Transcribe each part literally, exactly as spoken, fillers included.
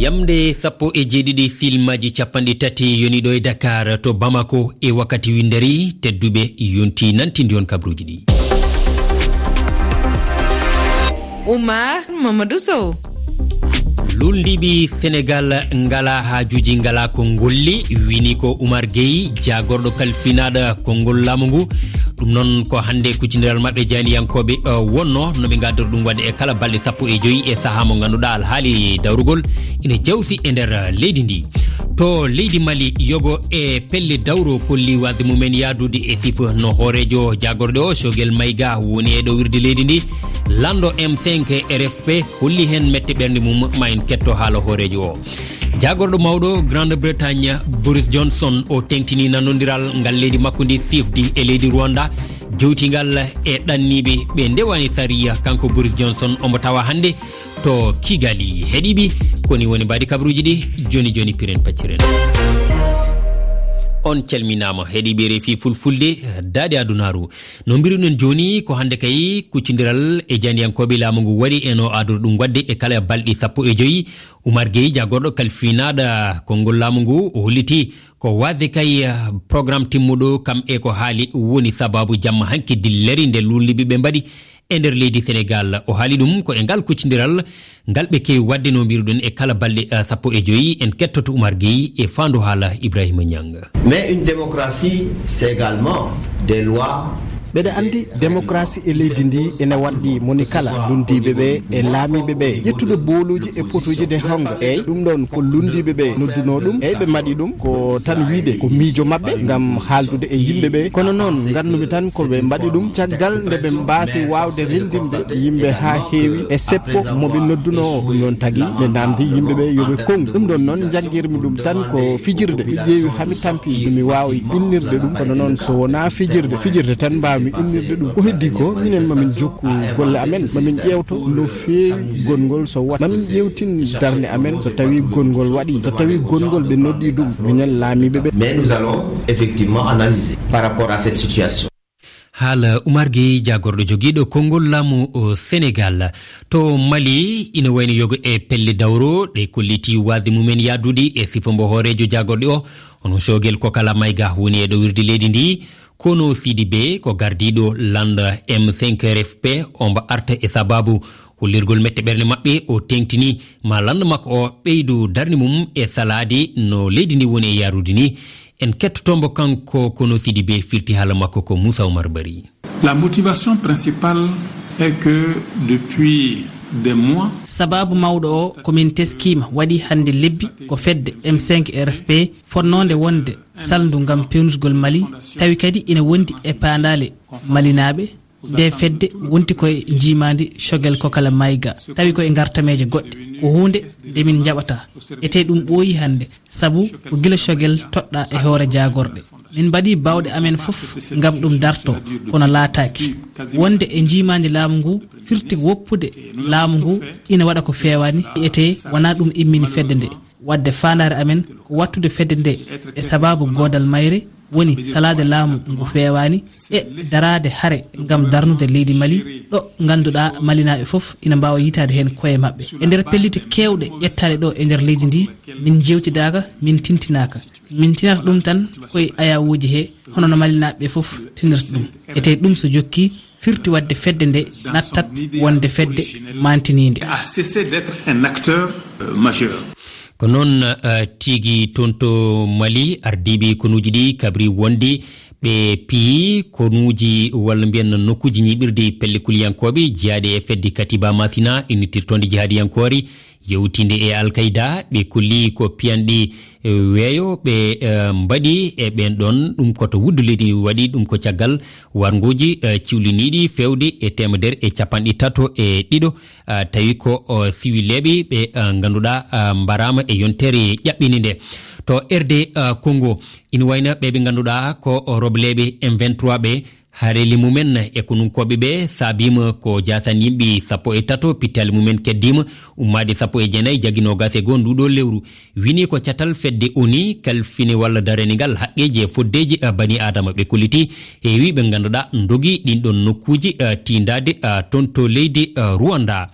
Yamde sappo e jeeɗiɗi filmaaji capanɗe tati yoni ɗo e Dakar to Bamako e wakkati winndere tedduɓe yonti nantindi on kabruuji ɗi. Oumar Mamadou Sow. Luulndiiɓe Senegal ngalaa haajuuji, ngalaa ko ngolli, wini ko Oumar Gueye, jaagorɗo kalfinaaɗo konngol laamu ngu. Ɗum noon ko hannde kuccindiral maɓɓe jaaniyankooɓe, eh, wonno no ɓe ngaddori ɗum waɗde e kala balɗe sappo e joyi e sahaa mo ngannduɗaa alhaali dawrugol ina jawsi e nder leydi ndi. To leydi Mali, yogo e pelle dawro kolli waasde mumen yaadude e sifa no hooreejo jaagorɗe o, Choguel Maïga, woni e ɗo wirde leydi ndi. Lanndo M cinq R F P holli heen mette ɓernde mum, ma en ketto haala hooreejo o. Jaagorɗo mawɗo Grande Bretagne, Boris Johnson, o teŋtini nanondiral ngal leydi makko ndi sifdi e leydi Rwanda, jowtingal e ɗanniiɓe ɓe ndewaani sariya. Kanko Boris Johnson omo tawa hannde to Kigali. Heɗiiɓe, koni woni mbaadi kabaruuji ɗi, joni joni piren pacciren. On calminaama, heɗiiɓe R F I Fulfulde, daade adunaaru. No mbiruɗen jooni, ko hannde kay kuccindiral e jaaniyankooɓe laamu ngu waɗi e no aadori ɗum waɗde e kala balɗe sappo e joyi. Oumar Gueye, jaagorɗo kalfinaaɗo konngol laamu ngu, o holliti ko waasde kay, eh, programme timmuɗo kam e ko haali woni sabaabu jamma hanki dillere nde luulndiiɓe ɓe mbaɗi e nder leydi Senegal. O haali ɗum ko e ngal kuccindiral ngal ɓe keewi waɗde no mbiruɗen e kala balɗe, eh, sappo e joyi. En kettoto Oumar Gueye e faandu haala Ibrahima Niang. Mais une démocratie, c'est également des lois. Mbeɗa anndi démocratie e leydi ndi ene waɗɗi moni kala luulndiiɓe ɓe e laamiiɓe ɓe ƴettude booluuji e potuuji nde honga. Eyi, ɗum ɗoon ko luulndiiɓe ɓe noddunoo ɗum. Eyi, ɓe mbaɗi ɗum ko tan wiyde ko miijo maɓɓe ngam haaldude e yimɓe ɓe. Kono noon, nganndumi tan ko ɓe mbaɗi ɗum caggal nde ɓe mbaasi waawde renndinde yimɓe haa heewi e seppo mo ɓe noddunoo. Ɗum noon tagi ɓe naamndi yimɓe ɓe yo ɓe konngu. Ɗum ɗoon noon, njanngirmi ɗum tan ko fijirde. Mi ƴeewi haa mi tampi, mi waawi innirde ɗum. Kono noon, so wonaa fijirde, fijirde tan mbaawmi innirde ɗum. Ko heddii ko, minen ma min jokku golle amen, ma min ƴeewto no feewi gonngol so waɗi. Ma min ƴeewtin darnde amen so tawii gonngol waɗii, so tawii gonngol ɓe noddii ɗum, minen laamiiɓe ɓe. Mais nous allons effectivement analyser par rapport à cette situation. Haala Oumar Gueye, jaagorɗo jogiiɗo konngol laamu o Senegal. To Mali, ina wayno yogo e pelle dawro ɗe kolliti waasde mumen yaadude e sifa mbo hooreejo jaagorɗe o, hono Choguel Kokala Maïga woni e ɗo wirde leydi ndi. Kono Sidibé ko gardiiɗo lannda M cinq R F P, o mbo arta e sabaabu hollirgol mette ɓernde maɓɓe, o teŋtini ma lannda makko o ɓeydu darnde mum e salaade no leydi ndi woni e yaarude ni. En kettoto mbo kanko, kono Sidibé firti haala makko ko Moussa Oumar Bari. La motivation principale est que depuis des mois, sabaabu mawɗo o ko min teskiima waɗi hannde lebbi ko fedde M cinq R F P fotnoonde wonde salndu ngam peewnitgol Mali, tawi kadi ina wondi e paandaale malinaaɓe. Nde fedde wonti ko e njiimaandi Choguel Kokala Maïga, tawi ko e ngartameeje goɗɗe. Ko huunde nde min njaɓata. Etee ɗum ɓooyi hannde, sabu ko gila Choguel toɗɗaa e hoore jaagorɗe. Min mbaɗi baawɗe amen fof ngam ɗum darto, kono laataaki. Wonde e njiimaandi laamu ngu firti woppude laamu ngu ina waɗa ko feewaani, etee wonaa ɗum immini fedde nde. Waɗde faandaare amen ko waɗtude fedde nde e sabaabu goodal mayre, woni salaade laamu ngu feewaani e daraade hare ngam darnude leydi Mali, ɗo ngannduɗaa malinaaɓe fof ina mbaawa yitaade heen koye maɓɓe. E nder pellitte keewɗe ƴettaaɗe ɗo e nder leydi ndi, min njeewtidaaka, min tintinaaka. Min tinata ɗum tan koye ayawuuji he, hono no malinaaɓe fof tinirta ɗum. Etee ɗum so jokkii, firti waɗde fedde nde nattat wonde fedde maantiniinde. A cessé d'être un acteur, euh, majeur. Ko noon, eh, tigi toon to Mali, ardiiɓe konuuji ɗi kabri wonde ɓe piyi konuuji walla mbiyen nokkuuji ñiiɓirde pelle kuliyankooɓe jeyaaɗe e fedde Katiba Masina innittirtoonde jihaadiyankoore yewtinde e Al Qaeda. Ɓe kolli ko piyanɗe, eh, weeyo ɓe, eh, mbaɗi e ɓeen ɗoon. Ɗum ko to wuddu leydi waɗi, ɗum ko caggal warnguuji, eh, ciwliniiɗi feewde e teemedere e capanɗe tato e ɗiɗo, ah, tawi ko, oh, siwilleeɓe ɓe, ah, ngannduɗaa, ah, mbaraama e yontere ƴaɓɓini nde. To R D, ah, Congo, ina wayno ɓe ɓe ngannduɗaa ko, oh, robleeɓe M vingt-trois ɓe, hareli mumen e konunkooɓe ɓe saabiima ko jaasan yimɓe sappo e tato, pittaali mumen keddiima ummaade sappo e jeenayi jaggi noogaas e goo nduuɗo lewru. Wini ko catal fedde O N U kalfini walla daranigal haqqeeji e foddeeji, eh, bani Aadama ɓe kolliti heewi ɓe ngannduɗaa ndogi ɗin ɗon nokkuuji, eh, tiindaade, eh, toon to leydi, eh, Rwanda.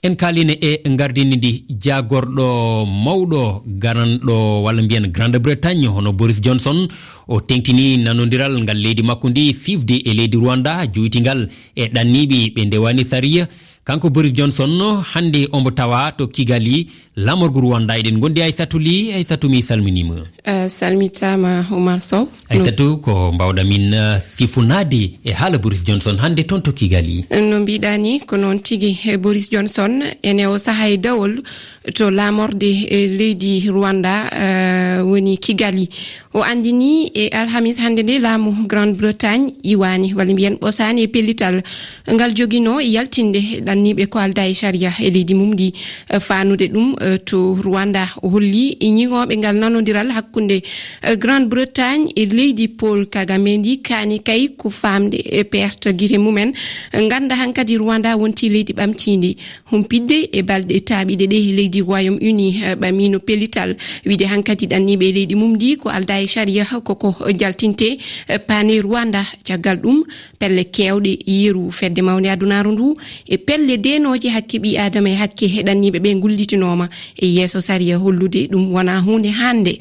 En kaalii e ngardini ndi, jaagorɗo mawɗo garanɗo walla mbiyen Grande Bretagne hono Boris Johnson, o teŋtini nanondiral ngal leydi makko ndi siifde e leydi Rwanda, jowitingal e ɗanniiɓe ɓe ndewaani sariya. Kanko Boris Johnson, hannde ombo tawa to Kigali, laamorgo Rwanda. Eɗen ngondi Aysatu Li. Aysatu, mi salminiima. Eh, salmitaama, Oumar Sow. Aysatu, ko mbaawɗa min, eh, sifunaade e haala Boris Johnson hannde toon to Kigali? No mbiɗa ni, ko noon tigi. Eh, Boris Johnson, ene o sahaa e dawol to laamorde, eh, leydi Rwanda, eh, woni Kigali. O anndini e alhamis hannde nde laamu Grande-Bretagne iwaani, walla mbiyen ɓosaani e pellital ngal joginoo e yaltinde ɗanniiɓe ko aldaa e sariya e leydi mum ndi, eh, faanude ɗum, eh, to Rwanda. O holli e ñiŋooɓe ngal nanondiral hakkunde, eh, Grande-Bretagne e leydi Paul Kagame ndi, kaani kay ko faamde e perte gite mumen. Ngannda hankadi Rwanda wonti leydi ɓamtiindi, humpitde e balɗe taaɓiɗe ɗe leydi Royaume-Uni, eh, ɓamiino pellital, wiide hankadi ɗanniiɓe e leydi mum ndi ko aldaa e sariya, ko ko jaltinte, eh, paane Rwanda. Caggal ɗum, pelle keewɗe yeru Fedde Mawnde Adunaaru ndu e pelle deenooje hakke ɓii Aadama e hakke ɗanniiɓe ɓe ngullitinooma e yeeso sariya, hollude ɗum wonaa huunde hannde.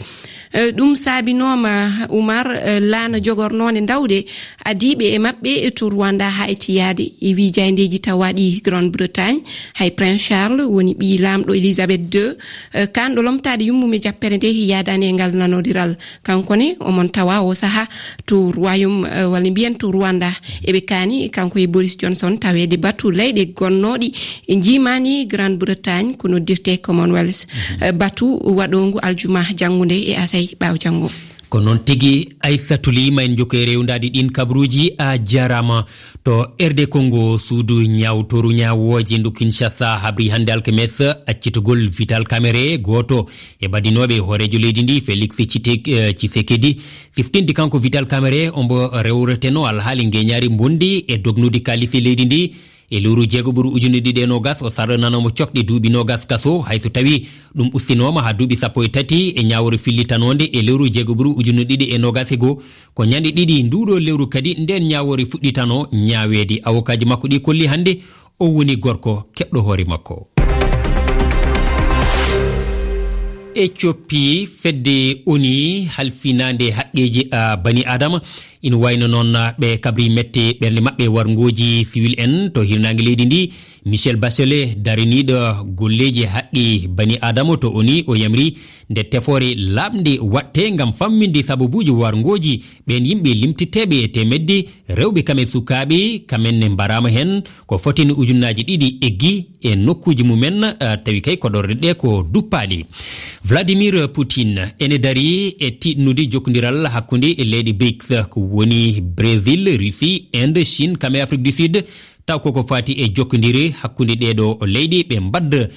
Eh, ɗum saabinooma, Umar, eh, laana jogornoonde ndawɗe adiiɓe e maɓɓe to Rwanda haa e tiyaade e wiijayndeeji tawaaɗi Grande-Bretagne. Hay Prince Charles woni ɓii laamɗo Elizabeth deux, eh, kaanɗo lomtaade yummum e jappere nde yaadaani e ngal nanondiral. Kanko ne, omon tawa o sahaa to Royaume, eh, walla mbiyen to Rwanda. Eɓe kaani, kanko e Boris Johnson, taweede batu leyɗe gonnooɗi e njiimaandi Grande-Bretagne, ko noddirtee Commonwealth. Mhm. Eh, batu waɗoongu aljuma janngunde e asay ɓaawo janngo. Ko noon tigi, Aysatu Li, ma en njokkoy e rewndaade ɗiin kabaruuji. A jaaraama. To R D Congo, suudu ñaawtooru ñaawooje ndu Kinshasa habri hannde alkames accitugol Vital Kamerhe, gooto e badinooɓe hooreejo leydi ndi, Félix Tshitek-, eh, Tshisekedi. Siftinde kanko Vital Kamerhe, ombo rewreteno alhaali ngeñaari mbondi e dognude kaalisi leydi ndi. E lewru jeego ɓuru ujunere ɗiɗi e noogas, o sarɗinanoo mo cokɗe duuɓi noogas kaso, hay so tawii ɗum ustinooma haa duuɓi sappo e tati e ñaawoore fillitanoonde e lewru jeego ɓuru ujunere ɗiɗi e noogas e goo. Ko ñande ɗiɗi nduuɗo lewru kadi ndeen ñaawoore fuɗɗitanoo ñaaweede. Awokaaji makko ɗi kolli hannde o woni gorko keɓɗo hoore makko. Ethiopie, fedde ONU halfinaande haqqeeji, ah, bani Aadama, ina wayno noon, ah, ɓe kabri mette ɓernde maɓɓe warngooji siwil en to hirnaange leydi ndi. Michelle Bachelet, dariniiɗo golleeji haqqe bani Aadama to ONU, o yamri nde tefoore laaɓnde waɗte ngam famminde sababuuji warngooji ɓeen yimɓe limtiteeɓe e teemedde, rewɓe kam e sukaaɓe, kam en ne mbaraama heen, ko fotini ujunnaaji ɗiɗi eggi e nokkuuji mumen, eh, tawi kay koɗorɗe ɗe ko duppaaɗe. Vladimir Putin ene darii e tiiɗnude jokkondiral hakkunde e leyɗe brics, ko woni Brésil, Russie, Inde, Chine, kam e Afrique du Sud, taw koko faati e jokkondire hakkunde ɗeeɗo leyɗe, ɓe mbadda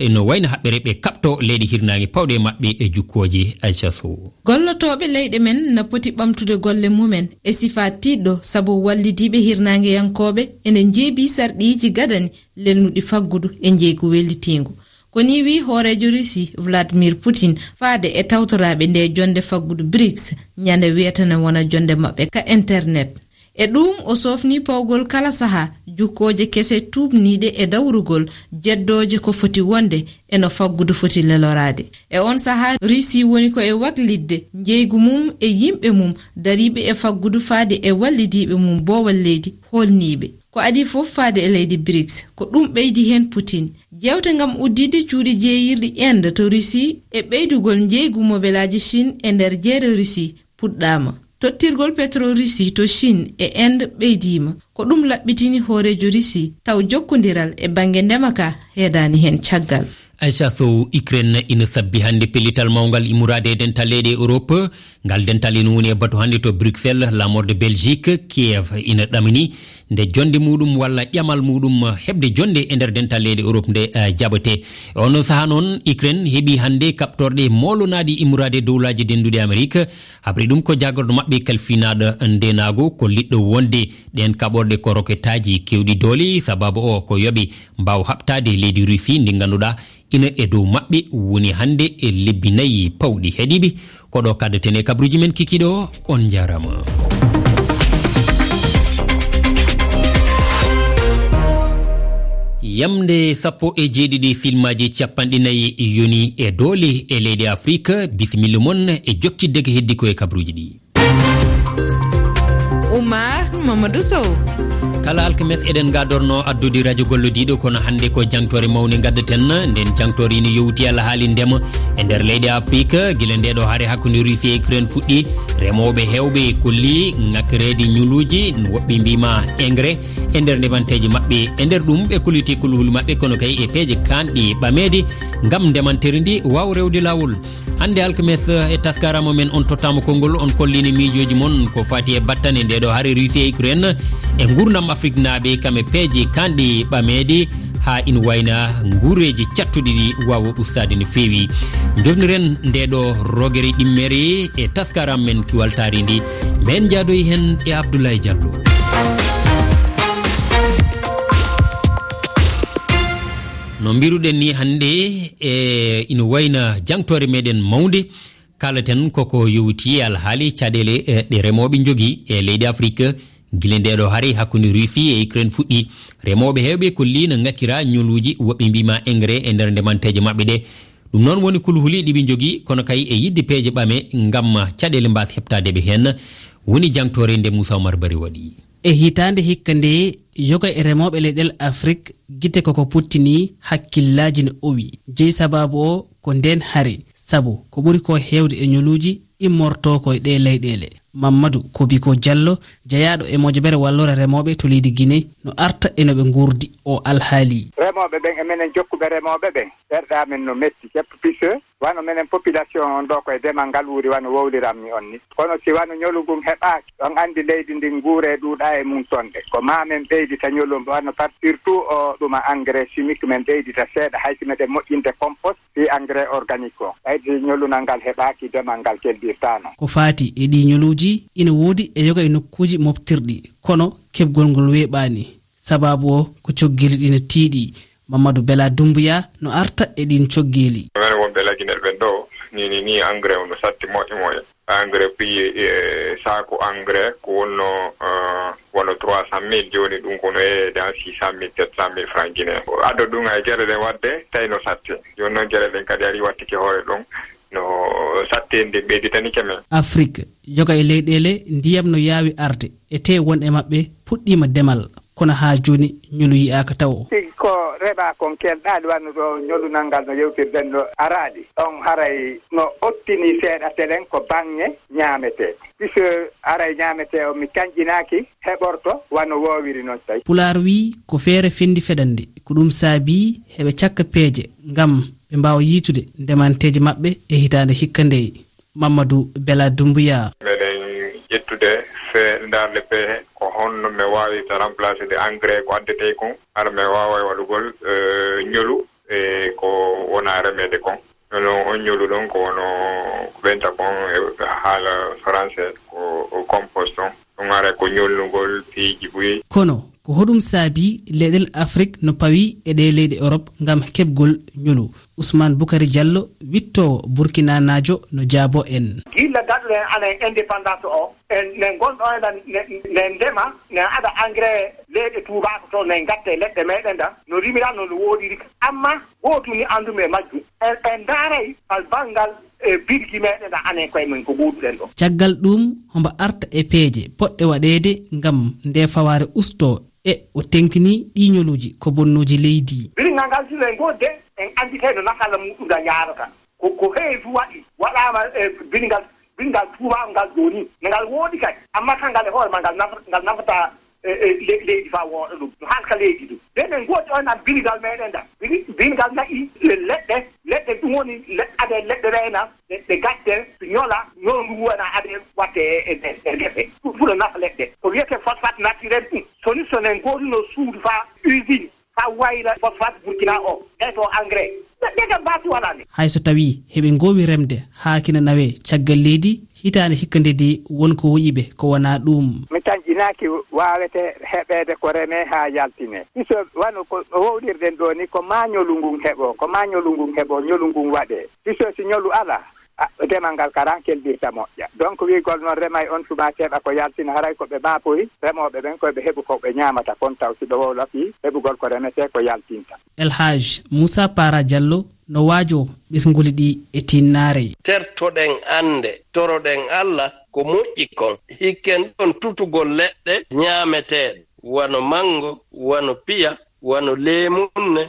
no wayno haɓɓere ɓe kaɓto leyɗe hirnaange pawɗe maɓɓe e jukkooje. Aisha Sow. Gollotooɓe leyɗe men na poti ɓamtude golle mumen e sifaa tiiɗɗo, sabu wallidiiɓe hirnaangeyankooɓe ene njeebii sarɗiiji gadani lelnuɗi faggudu e njeygu wellitiingu. Ko nii wii hooreejo Russie, Vladimir Putin, faade e tawtoraaɓe nde jonnde faggudu brics, ñande wiyata ne wona jonnde maɓɓe ka internet. E ɗuum, o soofni pawgol kala sahaa jukkooje kese tuubniiɗe e dawrugol jeddooje ko foti wonde e no faggudu foti leloraade. E on sahaa, Russie woni ko e waklitde njeygu mum e yimɓe mum dariiɓe e faggudu faade e wallidiiɓe mum boowal leydi hoolniiɓe. Ko adii fof faade e leydi brics, ko ɗum ɓeydi heen Putin. Jeewte ngam udditde cuuɗi jeeyirɗi Inde to Russie e ɓeydugol njeygu mobelaaji Chine e nder jeere Russie puɗɗaama. Tottirgol petro Russie to Chine e Inde ɓeydiima. Ko ɗum laɓɓitini hooreejo Russie, taw jokkondiral e bannge ndema ka heedaani heen caggal. Aisha Sow, Ukraine ina sabbi hannde pellital mawngal immorade e dental leyɗe Europe. Ngal dental ina woni e batu hannde to Bruxelles, laamorde Belgique, Kiev ina ɗamini nde jonnde muɗum walla ƴamal muɗum heɓde jonnde e nder dental leyɗe Europe nde, eh, jaɓete. E onon sahaa noon, Ukraine heɓi hannde kaɓtorɗe moolonaaɗe immorade Dowlaaji Dennduɗi Amerik. Habri ɗum ko jaagorɗo maɓɓe kalfinaaɗo ndeenaagu, ko liɗɗo wonde ɗeen kaɓorɗe ko roketaaji keewɗi doole, sababu o ko yoɓe mbaaw haɓtaade leydi Russie ndi ngannduɗaa ina e dow maɓɓe woni hannde e lebbi nayi pawɗi. Heɗiiɓe, ko ɗo kaddeten e kabruuji men kikiiɗe o. On njaaraama. Yamde sappo e jeeɗiɗi filmaaji capanɗe nayi yoni e doole e leyɗe Afrik. Bisimilla mon e jokkidde ko heddi ko e kabruuji ɗi. Oumar Mamadou Sow. Kala alkames eɗen gadorno addude radio gollodiiɗo, kono hannde ko jangtore mawne gaddaten. Nden jangtore ina yowti alhaali ndema e nder leyɗe Afrik. Gila nde ɗo hare hakkunde Russie e Ukraine fuɗɗi, remooɓe heewɓe kolli ŋakkireede ñuluuji, woɓɓe mbiima engrais e nder ndemanteeji maɓɓe. E nder ɗum, ɓe kolliti kulhuli maɓɓe, kono kay e peeje kanɗe ɓameede ngam ndemanteeri ndi waawa rewde laawol. Hannde alkames, e taskaram men, on tottaama konngol, on kollini miijooji mon ko fati e battane nde ɗo hare Russie e Ukraine e nguurndam Afriknaaɓe, kam e peeje kanɗe ɓameede, haa ina wayna nguureeji cattuɗi ɗi waawa ustaade no feewi. Njofniren nde ɗo rogere ɗimmere e taskaram men kiwal taarindi. Men njaadoyi heen e Abdoulaye Diallo. No mbiruɗen ni hannde, e ina wayna jangtore meɗen mawnde, kalaten koko yowiti e alhaali caɗeele, e, ɗe remooɓe njogii e leydi Afrik. Gila nde ɗo hari hakkunde Russie e Ukraine fuɗɗi, remooɓe heewɓe kolli no ŋakkira ñoluuji, woɓɓe mbiima engrais e nder ndemanteeje maɓɓe ɗe. Ɗum noon woni kulhuli ɗi ɓe njogii, kono kay e yiɗde peeje ɓame ngam caɗeele mbaas heɓtaade ɓe heen, woni jangtore nde Moussa Oumar Bari waɗi. E hitaande hikka nde, yoga e remooɓe leyɗel Afrik gite koko puttini, hakkillaaji no owi. Jeyi sabaabu o ko ndeen hari, sabu ko ɓuri ko heewde e ñoluuji immorto ko e ɗee leyɗeele. Mamadou Kobiko Diallo, jeyaaɗo e mojobere walloore remooɓe to leydi Guinée, no arta e no ɓe nguurdi o alhaali. Remooɓe ɓen e menen jokkuɓe remooɓe ɓen, ɓerɗe amen no metti, ceppo pise. Wano menen population on ɗo ko e demal ngal wuuri wano wowliranmi on ni. Kono si wano ñolu ngun heɓaaki, on anndi leydi ndin nguure ɗuuɗa e mum sonde. Ko ma men ɓeydita ñolu on wano par surtout o ɗuma engrais chimique men ɓeydita seeɗa hay si meɗen moƴƴinde compost fii engrais organique on. Ɓayde ñolunal ngal heɓaaki demal ngal keldirtaano. Ko faati e ɗii ñoluuji ina woodi e yoga e nokkuuji moftirɗi, kono keɓgol ngol weeɓaani. Sabaabu o ko coggeeli ɗi no tiiɗi. Mamadou Bella Doumbouya no arta e ɗin coggeeli. Menen wonɓe Laginel ɓen ɗo, ni, ni, ni engrais on no satti moƴƴo moƴƴo. Engrais prix, eh, saaku engrais ko wonno, eh, wonno trois cent mille, jooni ɗum ko no yeeyde en six cent mille, sept cent mille francs guinéens. Adda ɗum e geɗe ɗen waɗde, tawi no satti. Jooni noon geɗe ɗen kadi ari wattike hoore ɗum, no satti en, nde ɓeyditanike men. Afrik, yoga e leyɗeele ndiyam no yaawi arde, e tee won e maɓɓe puɗɗiima demal, kono haa jooni ñolu yiyaaka tawo. Tigi ko reɓa kon kelɗaali wano ɗo ñolunal ngal no yewtirɗen ɗo araali. On haray no ottini seeɗa telen ko baŋŋe ñaametee. Puisque aray ñaametee on mi canƴinaaki heɓorto wano woowiri non tawi. Pulaar wii ko feere fendi feɗande, ko ɗum saabii heɓe cakka peeje ngam ɓe mbaawa yiitude ndemanteeje maɓɓe e hitaande hikka ndee. Mamadou Bella Doumbouya. Meɗen ƴettude fe-, ndaarde pehe ko honno men waawirta remplacer de engrais ko addetee kon, hara men waawa waɗugol, eh, ñolu e ko wona remeede kon. Noon on ñolu ɗon ko wono ko ɓenta kon e haala français ko, ko compost on. Ɗum ara ko ñolnugol piiji buy. Kono ko hoɗum saabii leyɗel Afrik no pawi e ɗee leyɗe Europe ngam keɓgol ñolu? Ousmane Boukary Diallo, wittoowo burkinanaajo, no jaabo en. Gilla gaɗuɗen anen indépendance o, en, ne ngonɗo en ɗan, ne, ne ndema, ne aɗa engrais leyɗe tuubaako to, ne ngatte leɗɗe meɗen ɗan, no rimiran no, no woodiri ka. Amma gootum ni anndumi e majjum. En, en ndaaray fal banngal e birgi meɗen ɗan anen koye men ko gooduɗen ɗo. Caggal ɗum, hombo arta e peeje poɗɗe waɗeede ngam nde fawaare ustoo e o teŋtini ɗii ñoluuji ko bonnuuji leydi. Biringal ngal sila e ngoodde, en annditay no nafalla muɗum ngal yaarata. Ko, ko heewi fu waɗi, waɗaama e biringal, biringal tuubaaku ngal jooni. No ngal woodi kadi, amma kangal e hoore ma ngal naf-, ngal nafata, e, e, le-, leydi faa wooɗa ɗum. No halka leydi ɗum. Nden en ngoodi on am biringal meɗen ngal. Biri-, biringal na'i le-, leɗɗe, leɗɗe ɗum woni le-, ade leɗɗe reena, ɗe, ɗe gatte, ñola, ñola ngu wona ade watte e, e, e, e gese. Ɗum fu no nafa leɗɗe. Ko wiyetee phosphate naturel ɗum. Soni, so en ngoodunoo suudu faa usine, ka wayla phosphate Burkina o, ɓe to engrais. Ɓe, ɓe kam baasi wala ni. Hay so tawii heɓe ngoowi remde haa kina nawee caggal leydi, hitaande hikka nde de won ko woyi ɓe ko wonaa ɗuum. Mi tanƴinaaki waawete heɓeede ko remee haa yaltinee. Piso wano ko no wowlirɗen ɗoo ni, ko maa ñolu ngun heɓoo, ko maa ñolu ngun heɓoo, ñolu ngun waɗee. Piso si ñolu alaa, A, demal ngal kara kelɗirta moƴƴa. Donc, wiigol noon remay on tuma keɓa ko yaltina, haray ko ɓe baapoyi, remooɓe ɓen koye ɓe heɓu ko ɓe ñaamata kon, taw si ɓe wowlaki heɓugol ko remetee ko yaltinta. El Haj Moussa Para Diallo no waajoo ɓesnguli ɗi e tinnaare. Tertoɗen annde, toroɗen Alla ko moƴƴi kon. Hikken ɗon tutugol leɗɗe ñaameteeɗe, wano manngo, wano piya, wano leemunne,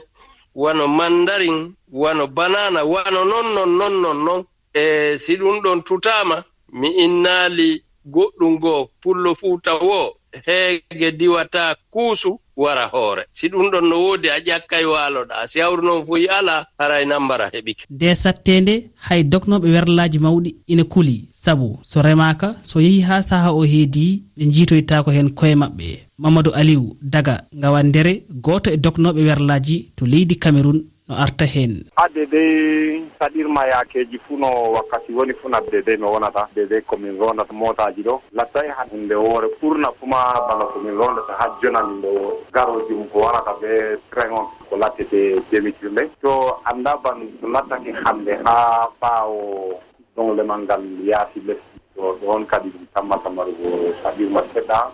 wano mandarin, wano banana, wano non, non, non, non, non. E si ɗum ɗon tutaama, mi innaali goɗɗum goo, Pullo Fuuta woo, heege diwataa kuusu wara hoore. Si ɗum ɗon no woodi, a ƴakkay waaloɗaa. Si hawru noon fuy alaa, haray nambara heɓike. Nde satteende, hay dognooɓe werlaaji mawɗi ina kuli, sabu so remaaka, so yehii haa sahaa o heedi, ɓe njiitoytaako heen koye maɓɓe. Mamadou Aliou Daga, Ngawandere, gooto e dognooɓe werlaaji to leydi Cameroun, no arta heen. Adde dey saɗirma yaakeeji fuu no wakkati woni fuu, adde dey no wonata, adde dey ko min roondata mootaaji ɗo, lattay han nde woore ɓurna fuu ma bana ko min roondata haa jonani nde woore. Garooji mum ko warata bee train on, ko lattete demi-tour ndey. To annda ban no lattake hannde haa ɓaawo ɗon lemal ngal yaasi lesdi. To ɗon kadi ɗum tammata marugo saɗirma seɗɗa,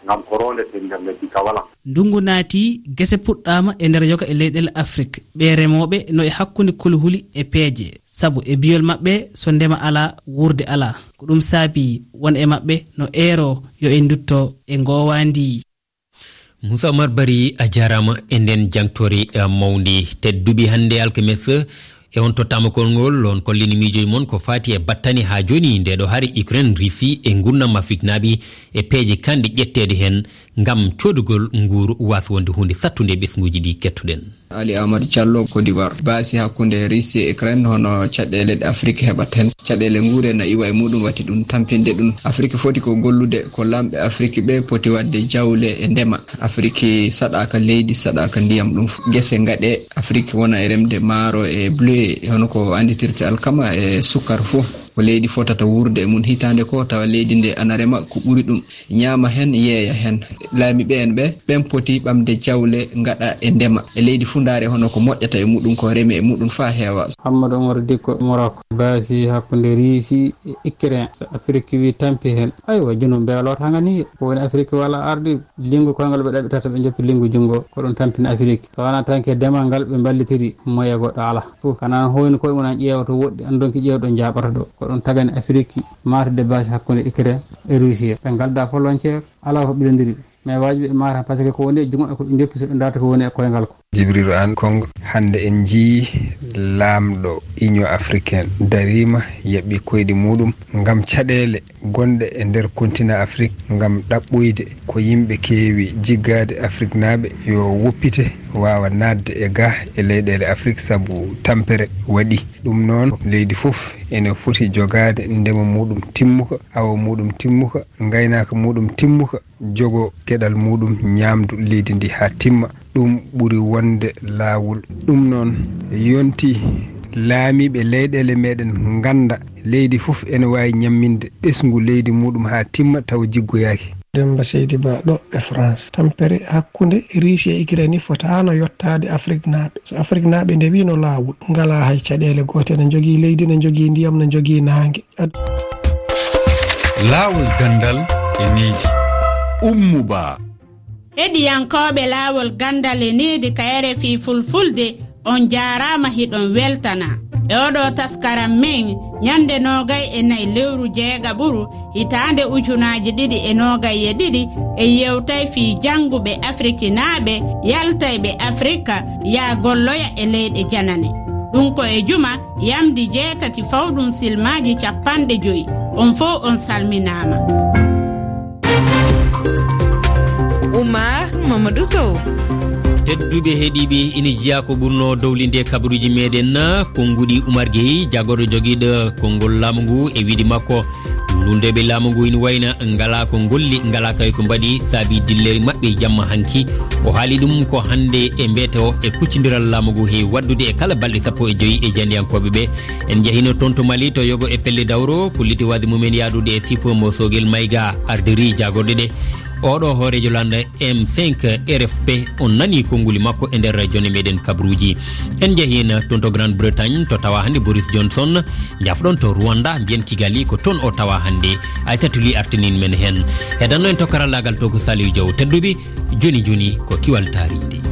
ngam ko roondete nder leddi ka wala. Ndunngu naati, gese puɗɗaama e nder yoga e leyɗeele Afrik. Ɓee remooɓe no e hakkunde kulhuli e peeje, sabu e biyol maɓɓe, so ndema alaa, wuurde alaa. Ko ɗum saabi won e maɓɓe no eero yo en ndutto e ngoowaandi. Moussa Oumar Bari, a jaaraama e nden jangtoore, eh, mawndi. Tedduɓe, hannde alkames, e on tottaama konngol, on kollini miijoji mon ko faati e battane haa jooni nde ɗo hari Ukraine, Russie e ngurnam Afriknaaɓe e peeje kanɗe ƴetteede heen ngam coodugol nguuru waasa wonde huunde sattunde e ɓesnguuji ɗi kettuɗen. Ali Amadou Diallo, Côte d'Ivoire. Baasi hakkunde Russie e Ukraine, hono caɗeele ɗe Afrique heɓata heen? Caɗeele nguure na iwa e muɗum, wati ɗum tampinde ɗum. Afrique foti ko gollude ko laamɓe Afrique ɓe poti waɗde jawle e ndema. Afrique saɗaaka leydi, saɗaaka ndiyam, ɗum gese ngaɗe. Afrique wona e remde maaro e blé, hono ko annditirte alkama e sukkar fof. Ko leydi fotata wuurde e mum hitaande ko, tawa leydi nde ana rema ko ɓuri ɗum, ñaama heen, yeeya heen. Laamiiɓe en ɓe, ɓen poti ɓamde jawle, ngaɗa e ndema. E leydi fuu ndaare hono ko moƴƴata e muɗum, ko reme e muɗum faa heewa. Hammadou Oumar Dikko, Morocco. Baasi hakkunde Riisi e Ukraine. So Afiriki wi tampi heen, aywa, junum mbeeloo tan ngani. Ko woni Afiriki wala ardi, linngu koyngal ɓe ɗaɓɓitata, ɓe njoppi linngu junngo. Ko ɗum tampini Afiriki. So wonaa tan ke demal ngal ɓe mballitiri, moye goɗɗo alaa. Fof kana hoyni koye mum, an ƴeewa to woɗɗi, an donki ƴeewa ɗo njaaɓata ɗo. Ko ɗum tagani Afiriki maatude baasi hakkunde Ukraine e Russie. Ɓe ngalda volontaire, alaa ko ɓilondiri ɓe. Mais waajibi ɓe maata, parce que ko woni e junngo e ko ɓe njoppi, so ɓe ndaarta ko woni e koyngal ko. Jibril Aan Kong, hannde en njii laamɗo Union Africaine dariima, yaɓɓi koyɗi muɗum ngam caɗeele gonɗe e nder kontina Afrik, ngam ɗaɓɓoyde ko yimɓe keewi jiggaade Afriknaaɓe yo woppite waawa naatde e ga e leyɗeele Afrik, sabu tampere waɗi. Ɗum noon, leydi fof ene foti jogaade ndema muɗum timmuka, awo muɗum timmuka, ngaynaaka muɗum timmuka, jogo geɗal muɗum ñaamdu leydi ndi haa timma. Ɗum ɓuri wonde laawol. Ɗum noon, yonti laamiiɓe leyɗeele meɗen ngannda leydi fof ene waawi ñamminde ɓesngu leydi muɗum haa timma tawa jiggoyaaki. Demba Seydi Ba ɗo e France. Tampere hakkunde Riisi e Ukraine fotaano yottaade Afriknaaɓe. So Afriknaaɓe ndewino laawol, ngalaa hay caɗeele goote, ne njogii leydi, ne njogii ndiyam, ne njogii naange. Ad- Laawol ganndal e needi. Ummu Ba. Heɗiyankooɓe Laawol Ganndal e Needi ka R F I Fulfulde, on njaaraama, hiɗon weltana. E oɗo taskaram men, ñande noogay e nayi lewru jeegaɓuru, hitaande ujunaaji ɗiɗi e noogay e ɗiɗi, en yewtay fii jannguɓe Afrikinaaɓe yaltayɓe Afrika yaa golloya e leyɗe janane. Ɗum ko e juma yamndi jeetati fawɗum silmaaji cappanɗe joy. On fow on salminaama. Oumar Mamadou Sow. Tedduɓe heɗiiɓe, ina jeyaa ko ɓurnoo dowlinde kabaruuji meɗen, konnguɗi Oumar Gueye, jagorɗo jogiiɗo konngol laamu ngu, e wiide makko, lunndeeɓe laamu ngu ina wayna ngalaa ko ngolli, ngalaa kay ko mbaɗi, saabi dilleeri maɓɓe jamma hanki. O haali ɗum ko hannde e mbeeto e kuccondiral laamu ngu heewi waɗdude e kala balɗe sappo e joy e janndiyankooɓe ɓe. En njahino toon to Mali, to yogo e pelle dawro, ko litiwaade mumen yaadude e sifo mo Sogel Mayga, ardiri jaagorɗe ɗe. Oɗo hooreejo lannda M cinq R F P, on nani konnguli makko e nder jone meɗen kabruuji. En njehi toon to Grande Bretagne, to tawa hannde Boris Johnson, njafɗon to Rwanda, mbiyen Kigali, ko toon o tawa hannde. Aysatu Ly artinin men heen. Heɗanno en to karallaagal to ko Saliou Diaw. Tedduɓe, joni joni ko kiwal taariindi.